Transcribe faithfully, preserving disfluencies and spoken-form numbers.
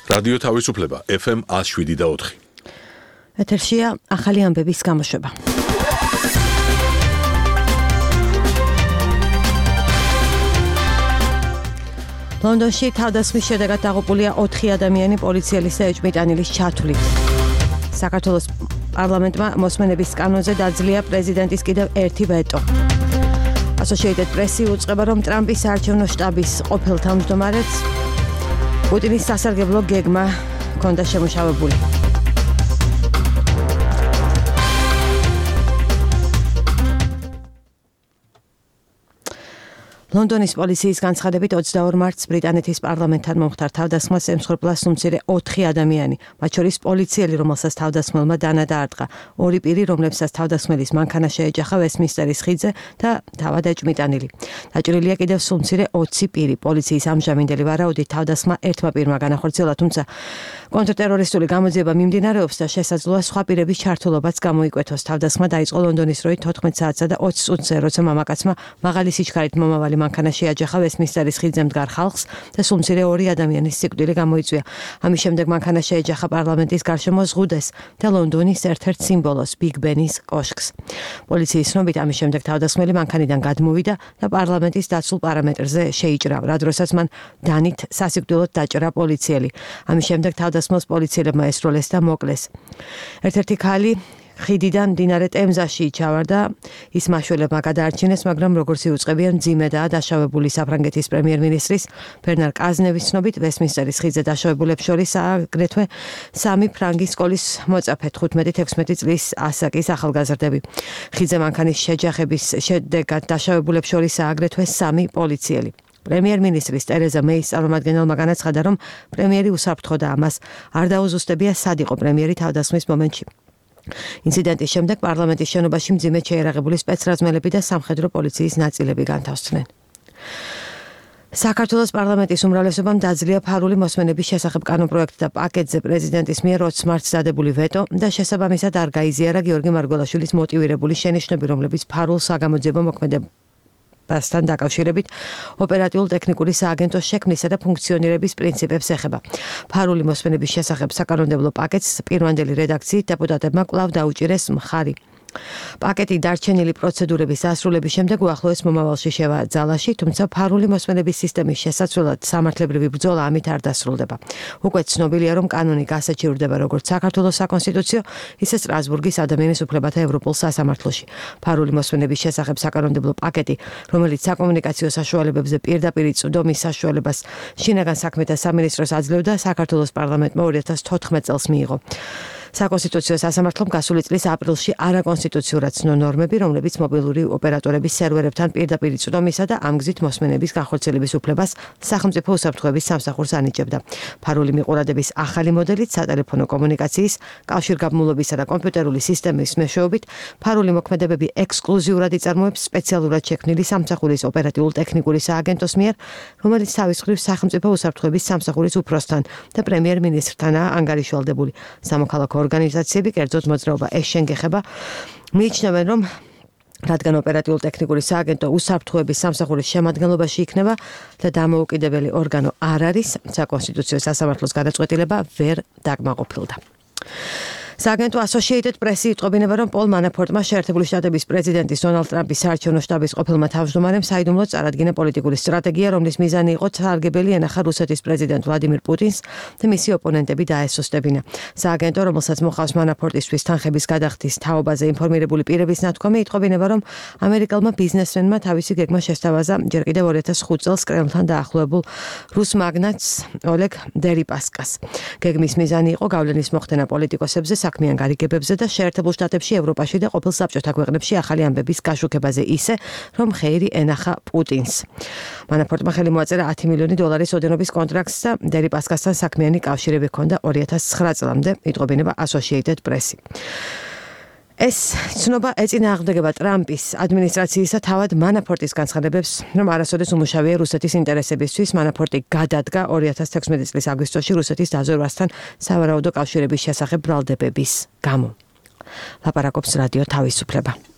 რადიო თავისუფლება ეფ ემ one oh seven და four. ეთერშია ახალი ამბების გამოშვება. ლონდონში თავდასხმის შედეგად დაღუპულია ოთხი ადამიანი პოლიციელის და ეჭვმიტანილის ჩათვლით. საქართველოს პარლამენტმა მოსმენების კანონზე დაძლია პრეზიდენტის კიდევ ერთი ვეტო. Associated Press უწყება, რომ ტრამპის საარჩევნო შტაბის ყოფილ თავმჯდომარეს პუტინის სასარგებლო გეგმა ჰქონდა შემუშავებული. ლონდონის პოლიციის განცხადებით ოცდაორ მარტს ბრიტანეთის პარლამენტთან მომხდარ თავდასხმას ემსხვერპლა სუმცირე ოთხი ადამიანი, მათ შორის პოლიციელი, რომელსაც თავდასხმელმა დანა დაარტყა, ორი პირი, რომლებსაც თავდასხმელის მანქანა შეეჯახა ვესტმინსტერის ხიდზე და თავად ეჭვმიტანილი. დაჭრილია კიდევ სუმცირე ოცი პირი. პოლიციის ამჟამინდელი ვარაუდით თავდასხმა ერთმა პირმა განახორციელა, თუმცა კონტრტერორისტული გამოძიება მიმდინარეობს და შესაძლოა სხვა პირების ჩართულობაც გამოიკვეთოს. თავდასხმა დაიწყო ლონდონის დროით თოთხმეტ საათსა და ოცი წუთზე, როცა მამაკაცმა მაღალი სიჩქარით მომავალი მანქანა შეაჯახა ვესტმინსტერის ხიდზე მდგარ ხალხს და სუმცირე ორი ადამიანის სიკვდილი გამოიწვია. ამის შემდეგ მანქანა შეეჯახა პარლამენტის გარშემო ზღუდეს და ლონდონის ერთ-ერთ სიმბოლოს ბიგ ბენის კოშკს. პოლიციის ცნობით ამის შემდეგ თავდასხმელი მანქანიდან გადმოვიდა და პარლამენტის დაცულ პარამეტრზე შეიჭრა, რა დროსაც მან დანით სასიკვდილოდ დაჭრა პოლიციელი. ამის შემდეგ თავდასხმელს პოლიციელებმა ესროლეს და მოკლეს. ერთ-ერთი ქალი ხიდიდან მდინარე ტემზაში ჩავარდა, ის მაშველებმა გადაარჩინეს, მაგრამ როგორც იუწყებიან, მძიმედაა დაშავებული. საფრანგეთის პრემიერ-მინისტრის ბერნარ კაზნევის ცნობით, ვესტმინსტერის ხიდზე დაშავებულებს შორის აგრეთვე სამი ფრანგის სკოლის მოწაფე, თხუთმეტი თექვსმეტი წლის ასაკის ახალგაზრდები. ხიდზე მანქანის შეჯახების შედეგად დაშავებულებს შორისაა აგრეთვე სამი პოლიციელი. პრემიერ-მინისტრის ტერეზა მეის წარმომადგენელმა განაცხადა, რომ პრემიერი უსაფრთხო და ამას არ დაუზუსტებია, სად იყო პრემიერი თავდასხმის მომენტში. ინციდენტის შემდეგ პარლამენტის შენობაში მძიმედ შეერაღებული სპეცრაზმელები და სამხედრო პოლიციის ნაწილები განთავსდნენ. საქართველოს პარლამენტის უმრავლესობამ დაძლია ფარული მოსმენების შესახებ კანონპროექტ და პაკეტზე პრეზიდენტის მიერ ოცი მარტს დადებული ვეტო და შესაბამისად არ გაიზიარა გიორგი მარგველაშვილის მოტივირებული შენიშვნები, რომლებიც ფარულ საგამოძიებო მოქმედებასთან bastan დაკავშირებით ოპერატიულ ტექნიკური სააგენტოს შექმნისა და ფუნქციონირების პრინციპებს ეხება. ფარული მოსმენების შესახებ საკანონმდებლო პაკეტს პირვანდელი რედაქციით დეპუტატებმა კვლავ დაუჭირეს მხარი. პაკეტი დარჩენილი პროცედურების დასრულების შემდეგ უახლოეს მომავალში შევა ძალაში, თუმცა ფარული მოსმენების სისტემის შესაცვლელად სამართლებრივი ბრძოლა ამით არ დასრულდება. უკვე ცნობილია, რომ კანონი გასაჩივრდება როგორც საქართველოს საკონსტიტუციო, ისე სტრასბურგის ადამიანის უფლებათა ევროპულ სასამართლოში. ფარული მოსმენების შესახებ საკანონმდებლო პაკეტი, რომელიც საკომუნიკაციო საშუალებებზე პირდაპირ წვდომის საშუალებას შინაგან საქმეთა სამინისტროს აძლევდა, საქართველოს პარლამენტმა ორი ათას თოთხმეტ წელს მიიღო. საკონსტიტუციო სასამართლომ გასული წლის აპრილში არაკონსტიტუციურად ცნო ნორმები, რომლებიც მობილური ოპერატორების სერვერებთან პირდაპირ წვდომისა და ამ გზით მოსმენების განხორციელების უფლებას სახელმწიფო უსაფრთხოების სამსახურს ანიჭებდა. ფარული მიყურადების ახალი მოდელით სატელეფონო კომუნიკაციის, კავშირგაბმულობისა და კომპიუტერული სისტემის მეშვეობით ფარული მოქმედებები ექსკლუზიურად იწარმოებს სპეციალურად შექმნილი სამსახურის ოპერატიულ ტექნიკური სააგენტოს მიერ, რომელიც თავის მხრივ სახელმწიფო უსაფრთხოების სამსახურის უფროსთან და პრემიერ-მინისტრთანაა ანგარიშვალდებული. სამოქალაქო ორგანიზაციები, კერძოდ მოძრაობა ეშენ გეხება, მიიჩნევენ, რომ რადგან ოპერატიულ ტექნიკური სააგენტო უსაფრთხოების სამსახურის შემადგენლობაში იქნება და დამოუკიდებელი ორგანო არ არის, საკონსტიტუციო სასამართლოს გადაწყვეტილება ვერ დაკმაყოფილდა. სააგენტო Associated Press იტყობინება, რომ პოლ მანაფორტმა შეერთებული შტატების პრეზიდენტის დონალდ ტრამპის საარჩევნო შტაბის ყოფილმა თავმჯდომარემ საიდუმლოდ წარადგინა პოლიტიკური სტრატეგია, რომლის მიზანი იყო სარგებელი ენახა რუსეთის პრეზიდენტ ვლადიმირ პუტინს და მისი ოპონენტები დაესოსტებინა. სააგენტო, რომელსაც მოყავს მანაფორტისთვის თანხების გადახდის თაობაზე ინფორმირებული პირების ნათქვამი, იტყობინება, რომ ამერიკელმა ბიზნესმენმა თავისი გეგმა შესთავაზა ჯერ კიდევ ორი ათას ხუთ წელს კრემლთან დაახლოებულ რუს მაგნატს ოლეგ დერიპასკას. გეგმის მიზანი იყო გავლენის მოხდენა პოლიტიკოსებზე, საქმიან გარიგებებზე და შეერთებულ შტატებში, ევროპაში და ყოფილ საბჭოთა ქვეყნებში ახალი ამბების გაშუქებაზე ისე, რომ ხეირი ენახა პუტინს. მანაფორტმა ხელი მოაწერა ათი მილიონი დოლარის ოდენობის კონტრაქტს და დერიპასკასთან საქმიანი კავშირები ჰქონდა ორი ათას ცხრა წლამდე, იტყობინება Associated Press. ეს ცნობა ეწინააღმდეგება ტრამპის ადმინისტრაციისა თავად მანაფორტის განცხადებებს, რომ არასოდეს უმუშავია რუსეთის ინტერესებისთვის. მანაფორტი გადადგა ორი ათას თექვსმეტი წლის აგვისტოში რუსეთის დაზვერვასთან სავარაუდო კავშირების შესახებ ბრალდებების გამო. ლაპარაკობს რადიო თავისუფლება.